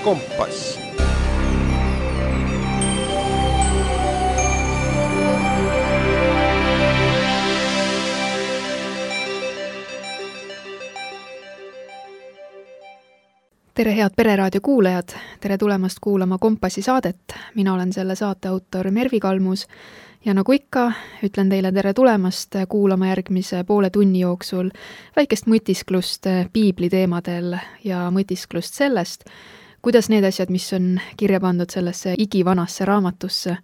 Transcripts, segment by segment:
Kompass. Tere head Pereraadio kuulajad, tere tulemast kuulama Kompassi saadet. Mina olen selle saate autor Mervi Kalmus ja nagu ikka, ütlen teile tere tulemast kuulama järgmise poole tunni jooksul väikest mõtisklust piibli teemadel ja mõtisklust sellest, kuidas need asjad, mis on kirja pandud sellesse igivanasse raamatusse,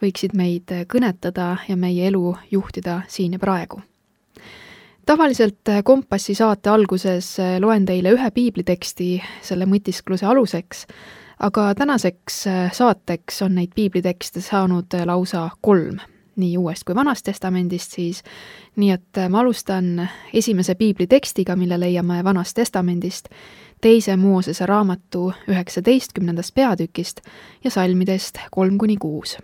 võiksid meid kõnetada ja meie elu juhtida siin ja praegu. Tavaliselt Kompassi saate alguses loen teile ühe piibliteksti selle mõtiskluse aluseks, aga tänaseks saateks on neid piiblitekste saanud lausa 3, nii Uuest kui Vanast Testamendist siis. Nii et ma alustan esimese piiblitekstiga, mille leiame Vanast Testamendist, 2. Moosese raamatu 19. peatükist ja salmidest 3-6.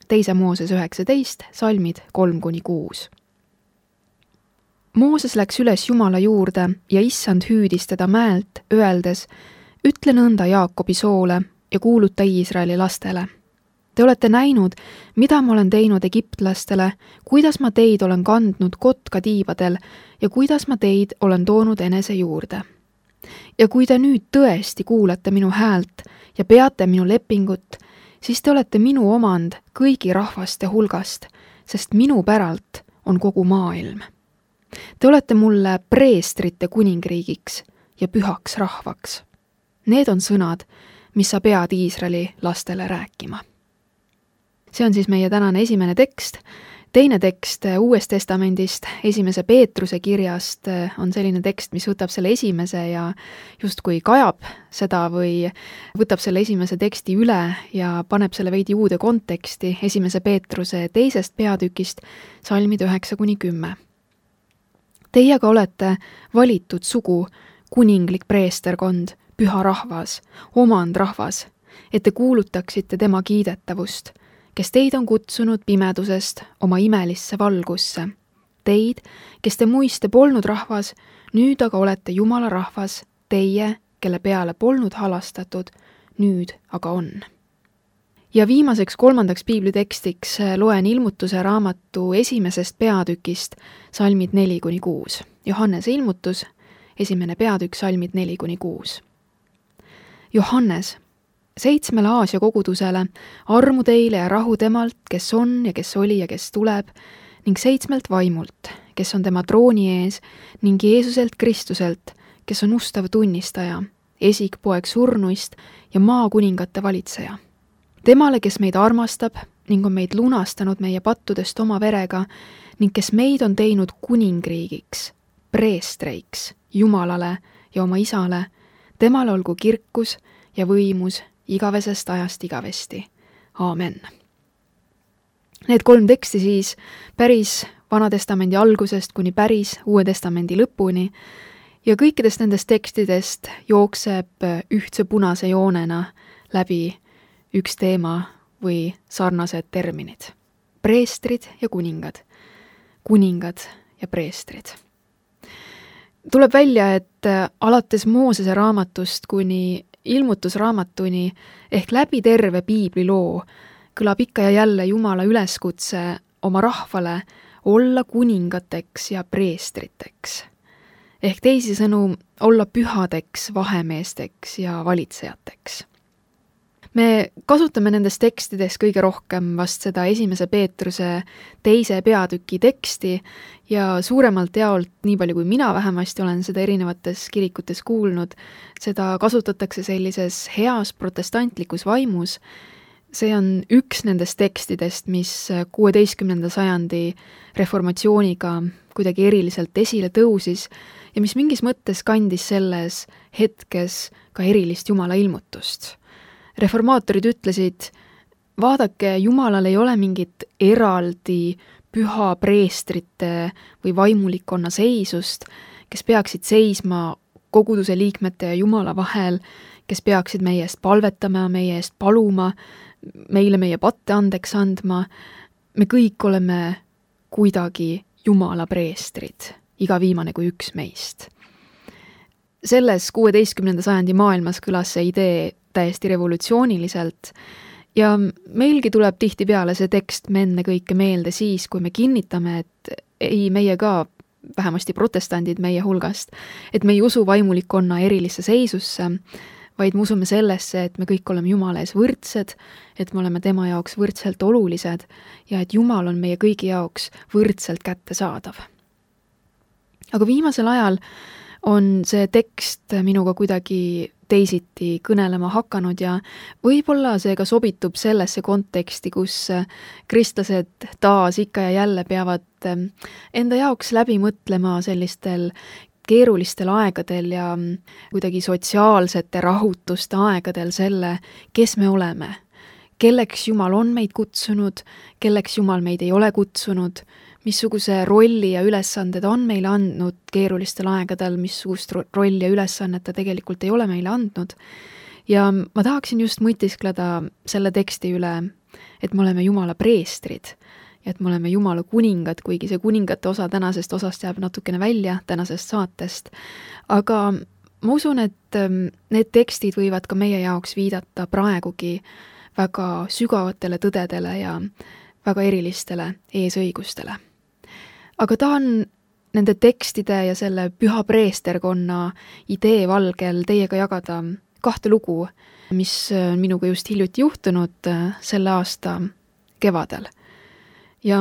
2. Mooses 19, salmid 3-6. Mooses läks üles Jumala juurde ja issand hüüdis teda mäelt, öeldes, ütle nõnda Jaakobi soole ja kuuluta Iisraeli lastele. Te olete näinud, mida ma olen teinud egiptlastele, kuidas ma teid olen kandnud kotkatiibadel ja kuidas ma teid olen toonud enese juurde. Ja kui te nüüd tõesti kuulete minu häält ja peate minu lepingut, siis te olete minu omand kõigi rahvaste hulgast, sest minu päralt on kogu maailm. Te olete mulle preestrite kuningriigiks ja pühaks rahvaks. Need on sõnad, mis sa pead Iisraeli lastele rääkima. See on siis meie tänane esimene tekst. Teine tekst Uuest Testamendist, 1. Peetruse kirjast on selline tekst, mis võtab selle esimese ja justkui kajab seda või võtab selle esimese teksti üle ja paneb selle veidi uude konteksti 1. Peetruse 2. peatükist, salmid 9-10. Teiega olete valitud sugu, kuninglik preesterkond, püha rahvas, omand rahvas, et te kuulutaksite tema kiidetavust, kes teid on kutsunud pimedusest oma imelisse valgusse. Teid, kes te muiste polnud rahvas, nüüd aga olete Jumala rahvas, teie, kelle peale polnud halastatud, nüüd aga on. Ja viimaseks 3. piiblitekstiks loen Ilmutuse raamatu 1. peatükist, salmid 4-6. Johannese ilmutus, 1. peatükk, salmid 4-6. Johannes, 7 Aasia kogudusele, armu teile ja rahu temalt, kes on ja kes oli ja kes tuleb, ning 7 vaimult, kes on tema trooni ees, ning Jeesuselt Kristuselt, kes on ustav tunnistaja, esikpoeg surnuist ja maakuningate valitseja. Temale, kes meid armastab ning on meid lunastanud meie pattudest oma verega ning kes meid on teinud kuningriigiks, preestreiks, Jumalale ja oma isale, temale olgu kirkus ja võimus igavesest ajast igavesti. Aamen. Need 3 teksti siis päris Vanatestamendi algusest kuni päris Uue Testamendi lõpuni ja kõikidest nendest tekstidest jookseb ühtse punase joonena läbi üks teema või sarnased terminid. Preestrid ja kuningad. Kuningad ja preestrid. Tuleb välja, et alates Moosese raamatust kuni Ilmutusraamatuni ehk läbi terve piibliloo kõlab ikka ja jälle Jumala üleskutse oma rahvale olla kuningateks ja preestriteks. Ehk teisisõnu olla pühadeks, vahemeesteks ja valitsejateks. Me kasutame nendest tekstidest kõige rohkem vast seda 1. Peetruse 2. peatüki teksti ja suuremalt jaolt, nii palju kui mina vähemasti olen seda erinevates kirikutes kuulnud, seda kasutatakse sellises heas protestantlikus vaimus. See on üks nendest tekstidest, mis 16. sajandi reformatsiooniga kuidagi eriliselt esile tõusis ja mis mingis mõttes kandis selles hetkes ka erilist Jumala ilmutust. Reformaatorid ütlesid, vaadake, Jumalal ei ole mingit eraldi püha preestrite või vaimulikkonna seisust, kes peaksid seisma koguduse liikmete ja Jumala vahel, kes peaksid meie eest palvetama, meie eest paluma, meile meie patte andeks andma. Me kõik oleme kuidagi Jumala preestrid, iga viimane kui üks meist. Selles 16. sajandi maailmas kõlas see idee täiesti revolutsiooniliselt ja meilgi tuleb tihtipeale see tekst ennekõike meelde siis, kui me kinnitame, et ei, meie ka, vähemasti protestandid meie hulgast, et me ei usu vaimulikkonna erilisse seisusse, vaid me usume sellesse, et me kõik oleme Jumala ees võrdsed, et me oleme tema jaoks võrdselt olulised ja et Jumal on meie kõigi jaoks võrdselt kättesaadav. Aga viimasel ajal on see tekst minuga kuidagi teisiti kõnelema hakanud ja võib-olla see ka sobitub sellesse konteksti, kus kristlased taas ikka ja jälle peavad enda jaoks läbi mõtlema sellistel keerulistel aegadel ja kuidagi sotsiaalsete rahutuste aegadel selle, kes me oleme, kelleks Jumal on meid kutsunud, kelleks Jumal meid ei ole kutsunud, missuguse rolli ja ülesanded on meile andnud keerulistel aegadel, missugust rolli ja ülesannet ta tegelikult ei ole meile andnud. Ja ma tahaksin just mõtiskleda selle teksti üle, et me oleme Jumala preestrid ja et me oleme Jumala kuningad, kuigi see kuningate osa tänasest osast jääb natukene välja tänasest saatest. Aga ma usun, et need tekstid võivad ka meie jaoks viidata praegugi väga sügavatele tõdedele ja väga erilistele eesõigustele. Aga tahan nende tekstide ja selle püha preesterkonna idee valgel teiega jagada 2 lugu, mis on minuga just hiljuti juhtunud selle aasta kevadel. Ja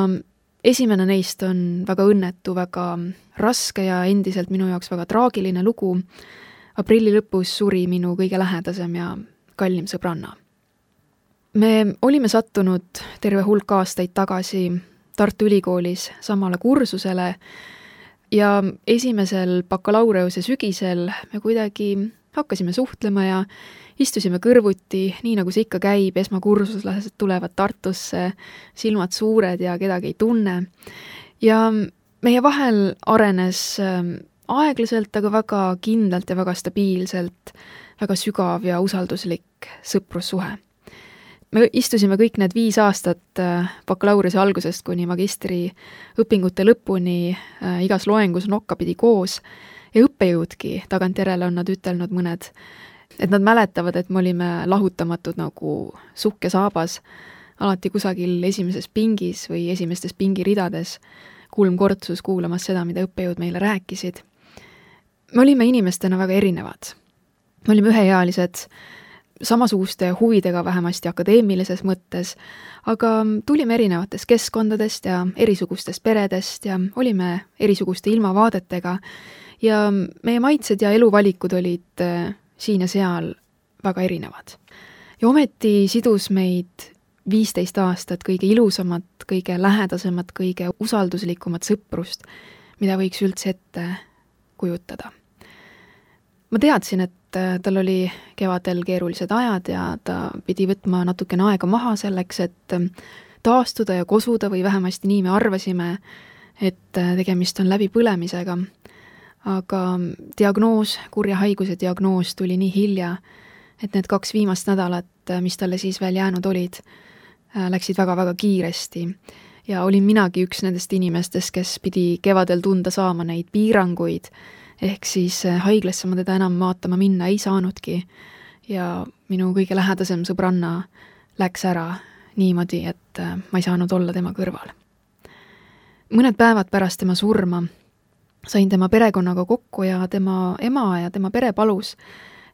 esimene neist on väga õnnetu, väga raske ja endiselt minu jaoks väga traagiline lugu. Aprilli lõpus suri minu kõige lähedasem ja kallim sõbranna. Me olime sattunud terve hulk aastaid tagasi Tartu Ülikoolis samale kursusele ja esimesel bakalaureuse sügisel me kuidagi hakkasime suhtlema ja istusime kõrvuti, nii nagu see ikka käib, esmakursuslased tulevad Tartusse, silmad suured ja kedagi ei tunne. Ja meie vahel arenes aeglaselt, aga väga kindlalt ja väga stabiilselt, väga sügav ja usalduslik sõprussuhe. Me istusime kõik need 5 aastat bakalaureuse algusest kuni magistri õpingute lõpuni igas loengus nokkapidi koos ja õppejõudki, tagantjärele on nad ütelnud mõned, et nad mäletavad, et me olime lahutamatud nagu sukk ja saabas, alati kusagil esimeses pingis või esimestes pingiridades, kulmkortsus kuulamas seda, mida õppejõud meile rääkisid. Me olime inimestena väga erinevad. Me olime üheealised, samasuguste huvidega vähemasti akadeemilises mõttes, aga tulime erinevatest keskkondadest ja erisugustest peredest ja olime erisuguste ilmavaadetega ja meie maitsed ja eluvalikud olid siin ja seal väga erinevad. Ja ometi sidus meid 15 aastat kõige ilusamat, kõige lähedasemat, kõige usalduslikumat sõprust, mida võiks üldse ette kujutada. Ma teadsin, et tal oli kevadel keerulised ajad ja ta pidi võtma natukene aega maha selleks, et taastuda ja kosuda või vähemasti nii me arvasime, et tegemist on läbipõlemisega. Aga diagnoos, kurja haiguse diagnoos tuli nii hilja, et need 2 viimast nädalat, mis talle siis veel jäänud olid, läksid väga-väga kiiresti. Ja olin minagi üks nendest inimestest, kes pidi kevadel tunda saama neid piiranguid, ehk siis haiglasse ma teda enam vaatama minna ei saanudki ja minu kõige lähedasem sõbranna läks ära niimoodi, et ma ei saanud olla tema kõrval. Mõned päevad pärast tema surma sain tema perekonnaga kokku ja tema ema ja tema pere palus,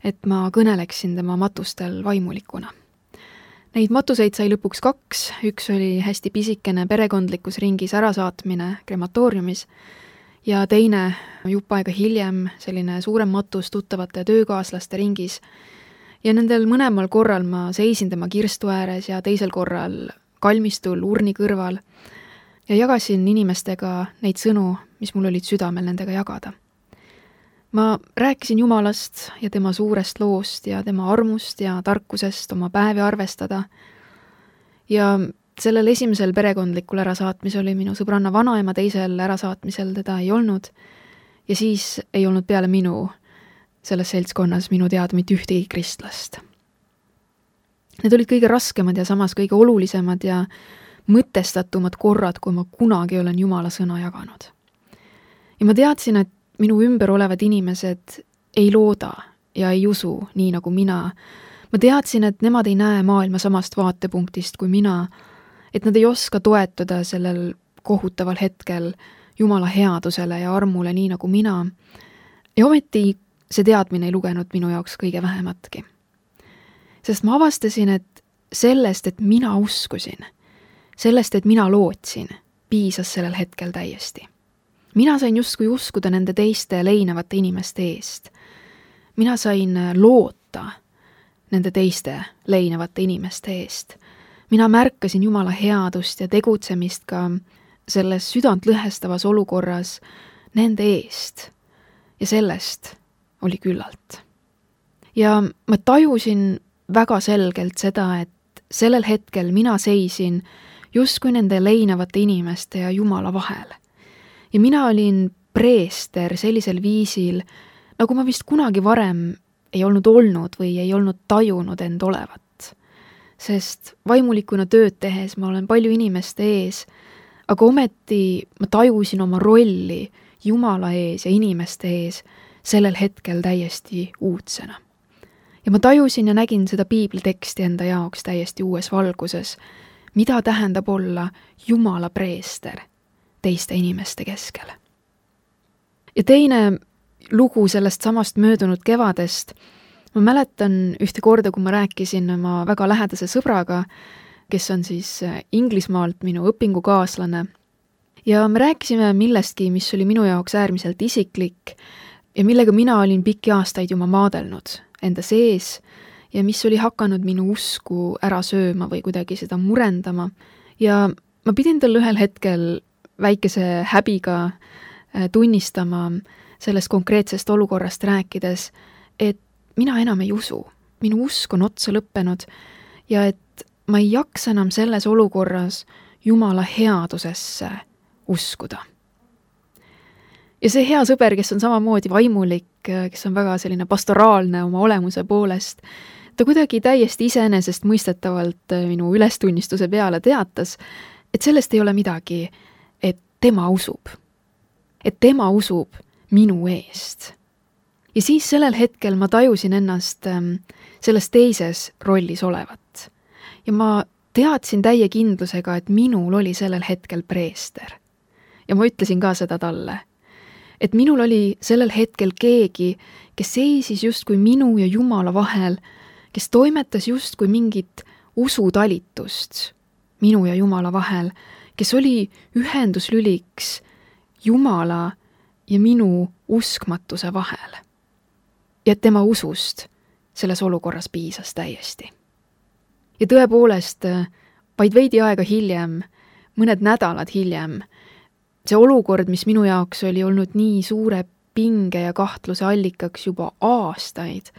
et ma kõneleksin tema matustel vaimulikuna. Neid matuseid sai lõpuks 2, üks oli hästi pisikene perekondlikus ringis ärasaatmine krematooriumis ja teine jupp aega hiljem selline suurem matus tuttavate töökaaslaste ringis. Ja nendel mõlemal korral ma seisin tema kirstu ääres ja teisel korral kalmistul urni kõrval ja jagasin inimestega neid sõnu, mis mul olid südamel nendega jagada. Ma rääkisin Jumalast ja tema suurest loost ja tema armust ja tarkusest oma päevi arvestada ja sellel esimesel perekondlikul ärasaatmisel oli minu sõbranna vanaema, teisel ärasaatmisel teda ei olnud ja siis ei olnud peale minu selles seltskonnas minu teada mitte ühtegi kristlast. Need olid kõige raskemad ja samas kõige olulisemad ja mõtestatumad korrad, kui ma kunagi olen Jumala sõna jaganud. Ja ma teadsin, et minu ümber olevad inimesed ei looda ja ei usu nii nagu mina. ma teadsin, et nemad ei näe maailma samast vaatepunktist kui mina, et nad ei oska toetuda sellel kohutaval hetkel Jumala headusele ja armule nii nagu mina. Ja ometi see teadmine ei lugenud minu jaoks kõige vähematki. Sest ma avastasin, et sellest, et mina uskusin, sellest, et mina lootsin, piisas sellel hetkel täiesti. Mina sain justkui uskuda nende teiste leinevate inimeste eest. Mina sain loota nende teiste leinevate inimeste eest. Mina märkasin Jumala headust ja tegutsemist ka selles südant lõhestavas olukorras nende eest. Ja sellest oli küllalt. Ja ma tajusin väga selgelt seda, et sellel hetkel mina seisin justkui nende leinevate inimeste ja Jumala vahel. Ja mina olin preester sellisel viisil, nagu ma vist kunagi varem ei olnud või ei olnud tajunud end olevat. Sest vaimulikuna tööd tehes ma olen palju inimeste ees, aga ometi ma tajusin oma rolli Jumala ees ja inimeste ees sellel hetkel täiesti uudsena. Ja ma tajusin ja nägin seda piibliteksti enda jaoks täiesti uues valguses, mida tähendab olla Jumala preester teiste inimeste keskel. Ja teine lugu sellest samast möödunud kevadest, ma mäletan ühte korda, kui ma rääkisin oma väga lähedase sõbraga, kes on siis Inglismaalt minu õpingukaaslane. Ja me rääkisime millestki, mis oli minu jaoks äärmiselt isiklik ja millega mina olin pikki aastaid juba maadelnud enda sees ja mis oli hakanud minu usku ära sööma või kuidagi seda murendama. Ja ma pidin talle ühel hetkel väikese häbiga tunnistama sellest konkreetsest olukorrast rääkides, et mina enam ei usu. Minu usk on otsa lõppenud ja et ma ei jaksa enam selles olukorras Jumala headusesse uskuda. Ja see hea sõber, kes on samamoodi vaimulik, kes on väga selline pastoraalne oma olemuse poolest, ta kuidagi täiesti iseenesest mõistetavalt minu ülestunnistuse peale teatas, et sellest ei ole midagi, et tema usub. Et tema usub minu eest. Ja siis sellel hetkel ma tajusin ennast selles teises rollis olevat. Ja ma teadsin täie kindlusega, et minul oli sellel hetkel preester. Ja ma ütlesin ka seda talle, et minul oli sellel hetkel keegi, kes seisis justkui minu ja Jumala vahel, kes toimetas justkui mingit usutalitust minu ja Jumala vahel, kes oli ühenduslüliks Jumala ja minu uskmatuse vahel. Ja tema usust selles olukorras piisas täiesti. Ja tõepoolest, vaid veidi aega hiljem, mõned nädalad hiljem, see olukord, mis minu jaoks oli olnud nii suure pinge ja kahtluse allikaks juba aastaid,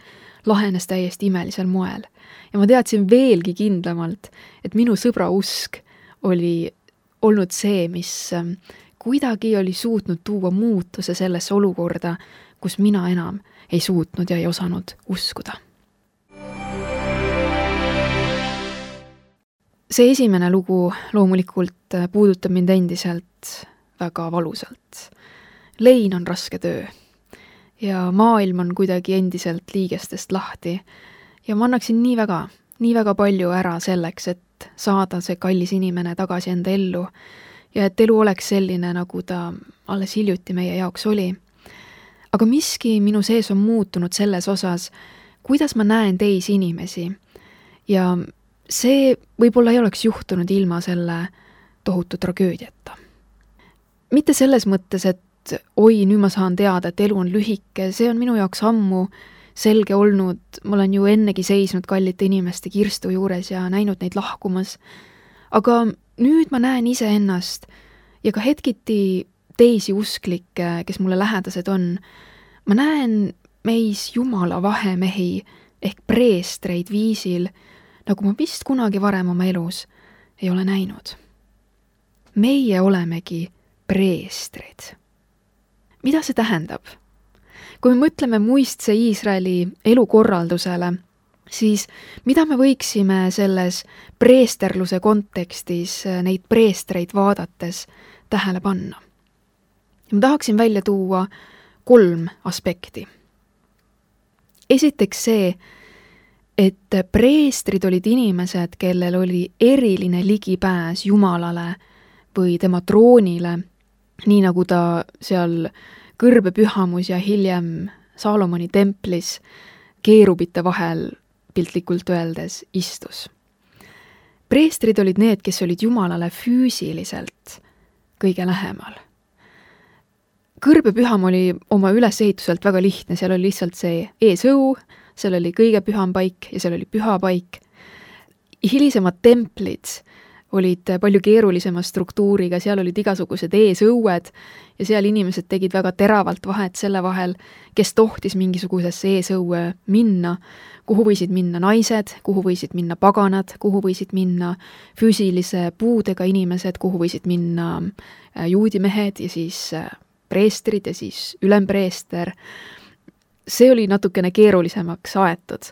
lahenes täiesti imelisel moel. Ja ma teadsin veelgi kindlamalt, et minu sõbra usk oli olnud see, mis kuidagi oli suutnud tuua muutuse sellesse olukorda, kus mina enam ei suutnud ja ei osanud uskuda. See esimene lugu loomulikult puudutab mind endiselt väga valusalt. Lein on raske töö ja maailm on kuidagi endiselt liigestest lahti ja ma annaksin nii väga palju ära selleks, et saada see kallis inimene tagasi enda ellu ja et elu oleks selline, nagu ta alles hiljuti meie jaoks oli. Aga miski minu sees on muutunud selles osas, kuidas ma näen teisi inimesi ja see võib-olla ei oleks juhtunud ilma selle tohutu tragöödiata. Mitte selles mõttes, et oi, nüüd ma saan teada, et elu on lühike, see on minu jaoks ammu selge olnud, ma olen ju ennegi seisnud kallite inimeste kirstu juures ja näinud neid lahkumas. Aga nüüd ma näen iseennast ja ka hetkiti teisi usklikke, kes mulle lähedased on. Ma näen meis Jumala vahemehi ehk preestreid viisil, nagu ma vist kunagi varem oma elus ei ole näinud. Meie olemegi preestrid. Mida see tähendab? Kui me mõtleme muistse Iisraeli elukorraldusele, siis mida me võiksime selles preesterluse kontekstis neid preestreid vaadates tähele panna? Ma tahaksin välja tuua 3 aspekti. Esiteks see, et preestrid olid inimesed, kellel oli eriline ligipääs Jumalale või tema troonile, nii nagu ta seal kõrbepühamus ja hiljem Saalomoni templis keerubite vahel piltlikult öeldes istus. Preestrid olid need, kes olid Jumalale füüsiliselt kõige lähemal. Kõrbepüham oli oma ülesehituselt väga lihtne, seal oli lihtsalt see eesõu, seal oli kõige püham paik ja seal oli püha paik. Hilisemad templid olid palju keerulisema struktuuriga, seal olid igasugused eesõued ja seal inimesed tegid väga teravalt vahet selle vahel, kes tohtis mingisugusesse eesõue minna, kuhu võisid minna naised, kuhu võisid minna paganad, kuhu võisid minna füüsilise puudega inimesed, kuhu võisid minna juudimehed ja siis preestrid ja siis ülempreester. See oli natukene keerulisemaks aetud,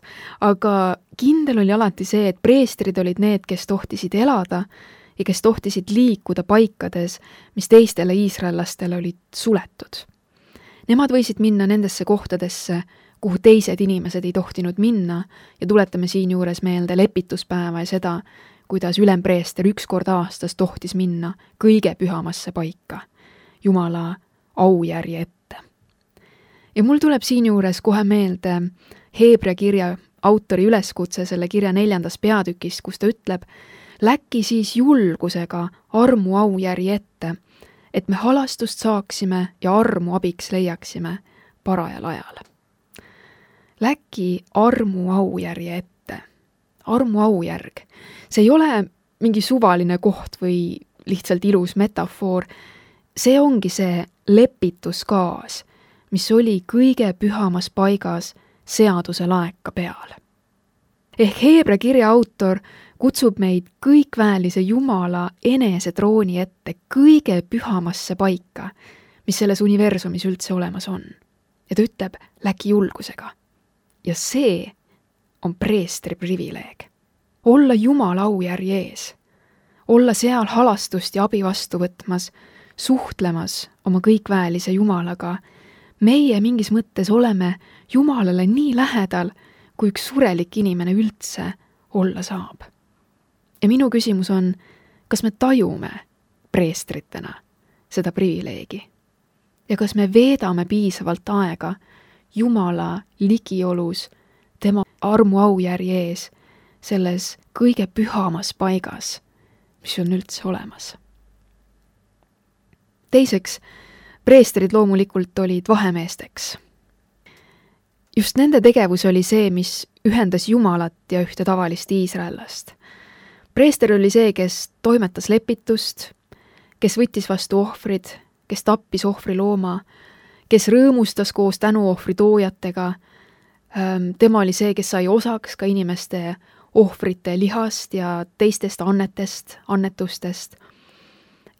aga kindel oli alati see, et preestrid olid need, kes tohtisid elada ja kes tohtisid liikuda paikades, mis teistele iisraellastele olid suletud. Nemad võisid minna nendesse kohtadesse, kuhu teised inimesed ei tohtinud minna ja tuletame siinjuures meelde lepituspäeva ja seda, kuidas ülempreester 1 kord aastas tohtis minna kõige pühamasse paika, Jumala aujärje ette. Ja mul tuleb siinjuures kohe meelde Heebrea kirja autori üleskutse selle kirja 4. peatükist, kus ta ütleb, läki siis julgusega armu aujärje ette, et me halastust saaksime ja armu abiks leiaksime parajal ajal. Läki armu aujärje ette. Armu aujärg. See ei ole mingi suvaline koht või lihtsalt ilus metafoor. See ongi see lepituskaas, mis oli kõige pühamas paigas seaduse laeka peal. Ehk Heebrea kirja autor kutsub meid kõikväelise Jumala enesetrooni ette kõige pühamasse paika, mis selles universumis üldse olemas on. Ja ta ütleb, läki julgusega. Ja see on preestri privileeg. Olla Jumala aujärje ees. Olla seal halastust ja abi vastu võtmas, suhtlemas oma kõikväelise Jumalaga. Meie mingis mõttes oleme Jumalale nii lähedal, kui üks surelik inimene üldse olla saab. Ja minu küsimus on, kas me tajume preestritena seda privileegi? Ja kas me veedame piisavalt aega Jumala ligiolus, tema armu aujärje ees, selles kõige pühamas paigas, mis on üldse olemas? Teiseks, preestrid loomulikult olid vahemeesteks. Just nende tegevus oli see, mis ühendas Jumalat ja ühte tavalist iisraellast. Preester oli see, kes toimetas lepitust, kes võttis vastu ohvrid, kes tappis ohvrilooma, kes rõõmustas koos tänuohvri toojatega. Tema oli see, kes sai osaks ka inimeste ohvrite lihast ja teistest annetustest.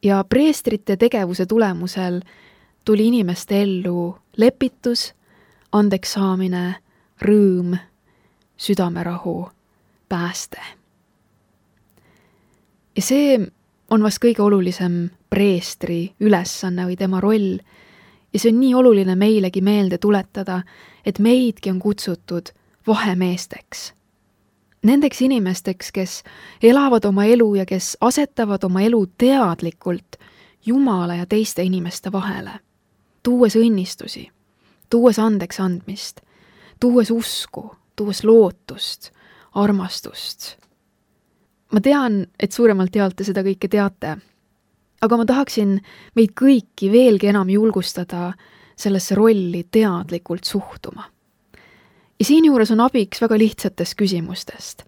Ja preestrite tegevuse tulemusel tuli inimeste ellu lepitus, andeks saamine, rõõm, südamerahu, pääste. Ja see on vast kõige olulisem preestri ülesanne või tema roll. Ja see on nii oluline meilegi meelde tuletada, et meidki on kutsutud vahemeesteks. Nendeks inimesteks, kes elavad oma elu ja kes asetavad oma elu teadlikult Jumala ja teiste inimeste vahele, tuues õnnistusi, tuues andeks andmist, tuues usku, tuues lootust, armastust. Ma tean, et suuremalt jaolt te seda kõike teate, aga ma tahaksin meid kõiki veelgi enam julgustada sellesse rolli teadlikult suhtuma. Ja siinjuures on abiks väga lihtsatest küsimustest.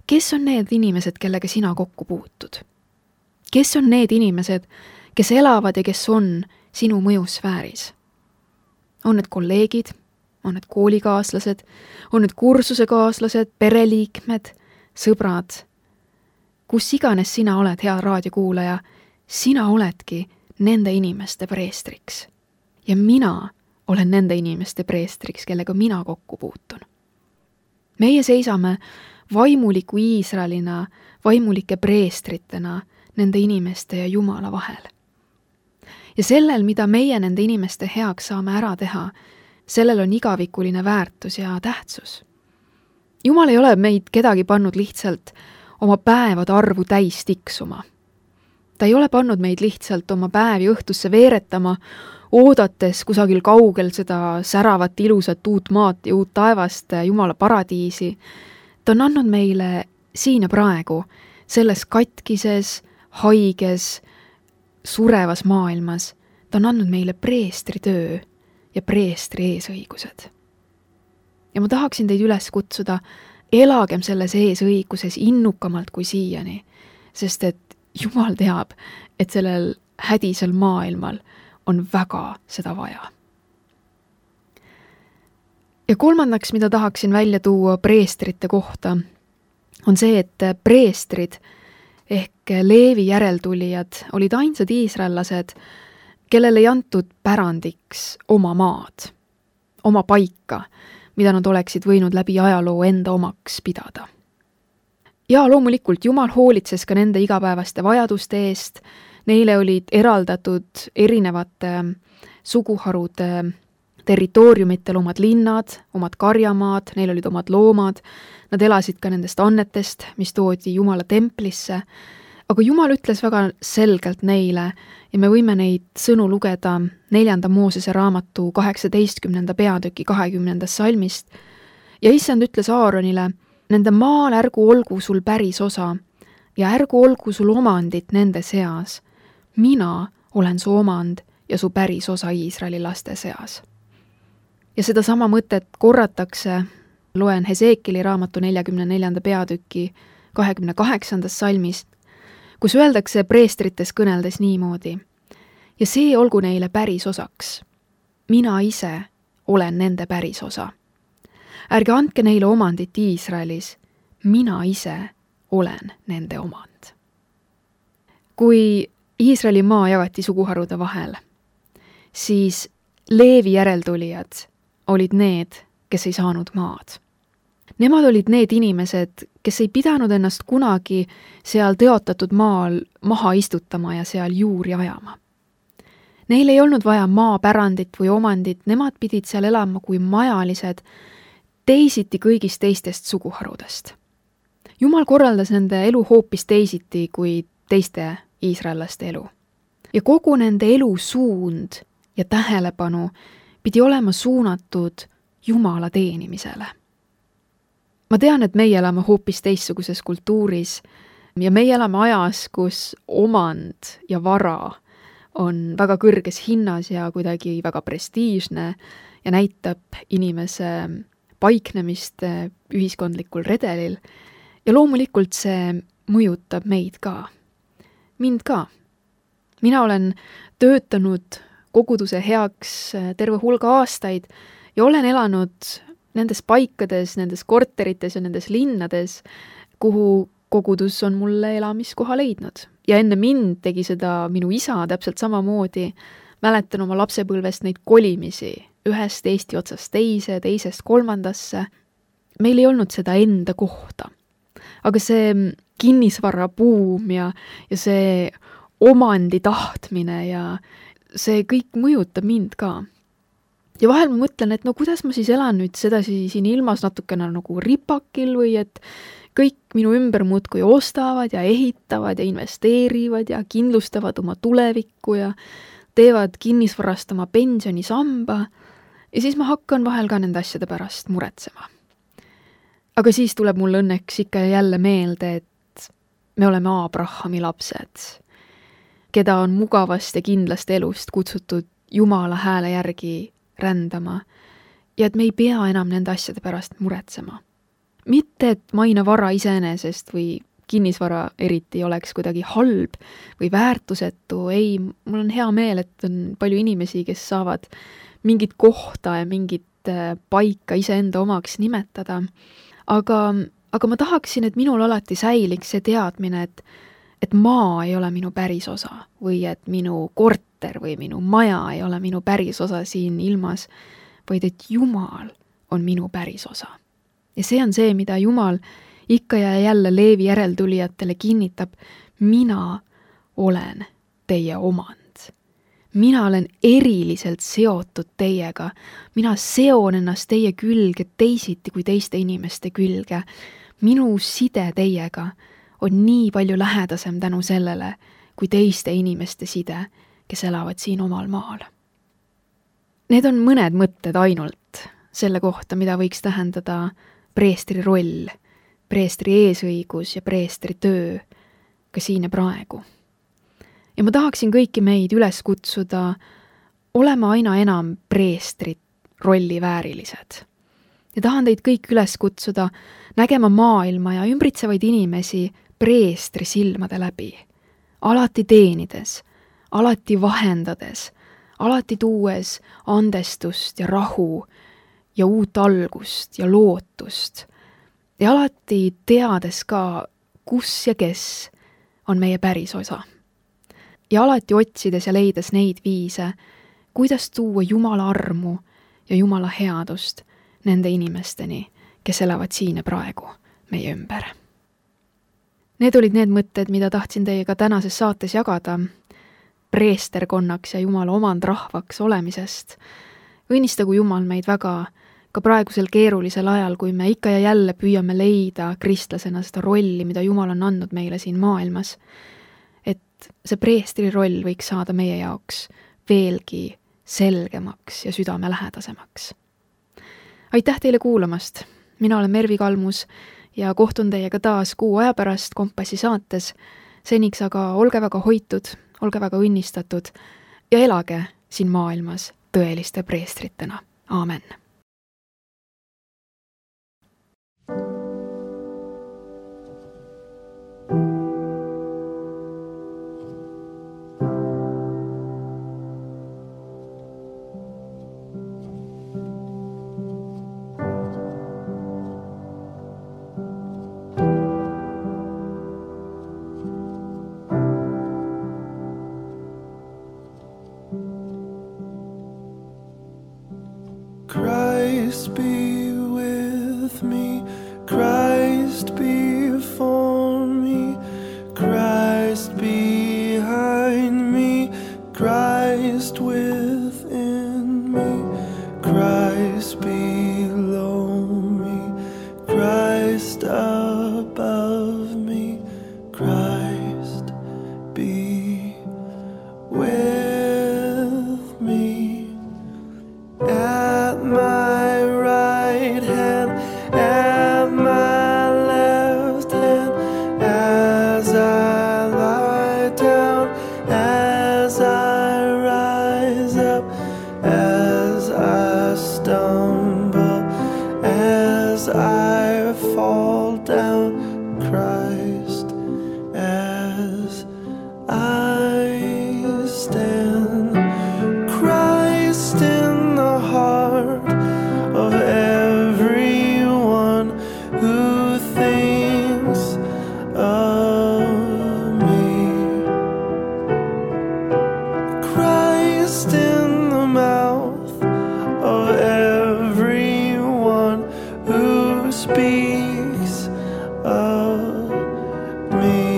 Kes on need inimesed, kellega sina kokku puutud? Kes on need inimesed, kes elavad ja kes on sinu mõjusfääris? On need kolleegid, on need koolikaaslased, on need kursusekaaslased, pereliikmed, sõbrad? Kus iganes sina oled, hea raadiokuulaja, sina oledki nende inimeste preestriks. Ja mina olen nende inimeste preestriks, kellega mina kokku puutun. Meie seisame vaimuliku Iisraelina, vaimulike preestritena nende inimeste ja Jumala vahel. Ja sellel, mida meie nende inimeste heaks saame ära teha, sellel on igavikuline väärtus ja tähtsus. Jumal ei ole meid kedagi pannud lihtsalt oma päevade arvu täis tiksuma. Ta ei ole pannud meid lihtsalt oma päevi õhtusse veeretama, oodates kusagil kaugel seda säravat ilusat uut maad ja uut taevast, Jumala paradiisi. Ta on andnud meile siin ja praegu, selles katkises, haiges, surevas maailmas. Ta on andnud meile preestri töö ja preestri eesõigused. Ja ma tahaksin teid üles kutsuda, elagem selles eesõiguses innukamalt kui siiani, sest et Jumal teab, et sellel hädisel maailmal on väga seda vaja. Ja kolmandaks, mida tahaksin välja tuua preestrite kohta, on see, et preestrid ehk Leevi järeltulijad olid ainsad iisraellased, kellel ei antud pärandiks oma maad, oma paika, mida nad oleksid võinud läbi ajaloo enda omaks pidada. Ja loomulikult Jumal hoolitses ka nende igapäevaste vajaduste eest, neile olid eraldatud erinevate suguharude territooriumitel omad linnad, omad karjamaad, neil olid omad loomad, nad elasid ka nendest annetest, mis toodi Jumala templisse, aga Jumal ütles väga selgelt neile ja me võime neid sõnu lugeda 4. Moosese raamatu 18. peatüki 20. salmist ja issand ütles Aaronile, nende maal ärgu olgu sul päris osa ja ärgu olgu sul omandit nende seas. Mina olen su omand ja su päris osa Iisraeli laste seas. Ja seda sama mõtet korratakse, loen Heseekili raamatu 44. peatüki 28. salmist, kus öeldakse preestrites kõneldes niimoodi. Ja see olgu neile päris osaks. Mina ise olen nende päris osa. Ärge andke neile omandit Iisraelis, mina ise olen nende omand. Kui Iisraeli maa jagati suguharude vahel, siis Leevi järeltulijad olid need, kes ei saanud maad. Nemad olid need inimesed, kes ei pidanud ennast kunagi seal teotatud maal maha istutama ja seal juuri ajama. Neil ei olnud vaja maapärandit või omandit, nemad pidid seal elama kui majalised, teisiti kõigist teistest suguharudest. Jumal korraldas nende elu hoopis teisiti kui teiste iisraellaste elu. Ja kogu nende elu suund ja tähelepanu pidi olema suunatud Jumala teenimisele. Ma tean, et meie elame hoopis teistsuguses kultuuris ja meie elame ajas, kus omand ja vara on väga kõrges hinnas ja kuidagi väga prestiižne ja näitab inimese paiknemist ühiskondlikul redelil ja loomulikult see mõjutab meid ka. Mind ka. Mina olen töötanud koguduse heaks terve hulga aastaid ja olen elanud nendes paikades, nendes korterites ja nendes linnades, kuhu kogudus on mulle elamiskoha leidnud. Ja enne mind tegi seda minu isa täpselt samamoodi. Mäletan oma lapsepõlvest neid kolimisi ühest Eesti otsast teise, teisest kolmandasse. Meil ei olnud seda enda kohta. Aga see kinnisvara buum ja see omandi tahtmine ja see kõik mõjutab mind ka. Ja vahel ma mõtlen, et no kuidas ma siis elan nüüd sedasi siin ilmas natukene nagu ripakil või et kõik minu ümber muudkui ostavad ja ehitavad ja investeerivad ja kindlustavad oma tulevikku ja teevad kinnisvarast oma pensionisamba ja siis ma hakkan vahel ka nende asjade pärast muretsema. Aga siis tuleb mul õnneks ikka jälle meelde, et me oleme Abrahami lapsed, keda on mugavast ja kindlast elust kutsutud Jumala hääle järgi rändama ja et me ei pea enam nende asjade pärast muretsema. Mitte, et maina vara iseenesest või kinnisvara eriti oleks kuidagi halb või väärtusetu, ei, mul on hea meel, et on palju inimesi, kes saavad mingit kohta ja mingit paika iseenda omaks nimetada, aga ma tahaksin, et minul alati säiliks see teadmine, et maa ei ole minu päris osa või et minu korter või minu maja ei ole minu päris osa siin ilmas, vaid et Jumal on minu päris osa. Ja see on see, mida Jumal ikka ja jälle Leevi järeltulijatele kinnitab, mina olen teie omand. mina olen eriliselt seotud teiega. Mina seon ennast teie külge teisiti kui teiste inimeste külge. Minu side teiega on nii palju lähedasem tänu sellele, kui teiste inimeste side, kes elavad siin omal maal. Need on mõned mõtted ainult selle kohta, mida võiks tähendada preestri roll, preestri eesõigus ja preestri töö ka siin ja praegu. Ja ma tahaksin kõiki meid üles kutsuda olema aina enam preestrit rolli väärilised. Ja tahan teid kõik üles kutsuda nägema maailma ja ümbritsevaid inimesi preestri silmade läbi. Alati teenides, alati vahendades, alati tuues andestust ja rahu ja uut algust ja lootust. Ja alati teades ka, kus ja kes on meie päris osa. Ja alati otsides ja leides neid viise, kuidas tuua Jumala armu ja Jumala headust nende inimesteni, kes elavad siin ja praegu meie ümber. Need olid need mõtted, mida tahtsin teiega tänases saates jagada preesterkonnaks ja Jumala omandrahvaks olemisest. Õnnistagu Jumal meid väga ka praegusel keerulisel ajal, kui me ikka ja jälle püüame leida kristlasena seda rolli, mida Jumal on andnud meile siin maailmas. Et see preestri roll võiks saada meie jaoks veelgi selgemaks ja südamelähedasemaks. Aitäh teile kuulamast! Mina olen Mervi Kalmus ja kohtun teiega taas kuu aja pärast Kompassi saates. Seniks aga olge väga hoitud, olge väga õnnistatud ja elage siin maailmas tõeliste preestritena. Aamen! Christ be with me, Christ before me, Christ behind me, Christ within me, Christ below me, Christ above me, Christ be with me. At my right hand, at my left hand, as I lie down, as I rise up, as I stumble, as I fall down, Christ, as I stand, Christ in the heart of everyone who thinks of me, Christ in the mouth of everyone who speaks of me,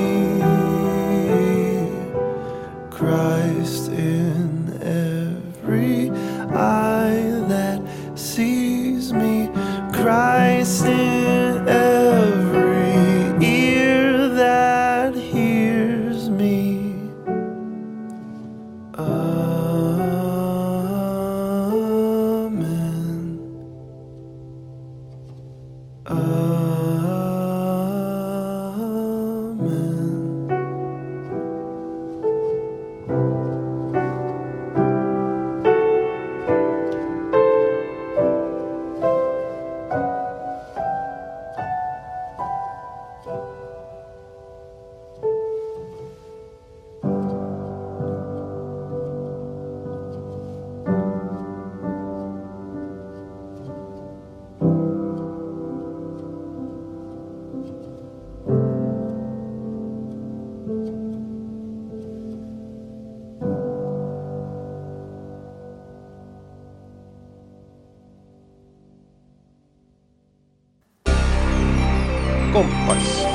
Christ in every eye that sees me, Christ in every ear that hears me. Amen. Amen. Kompass.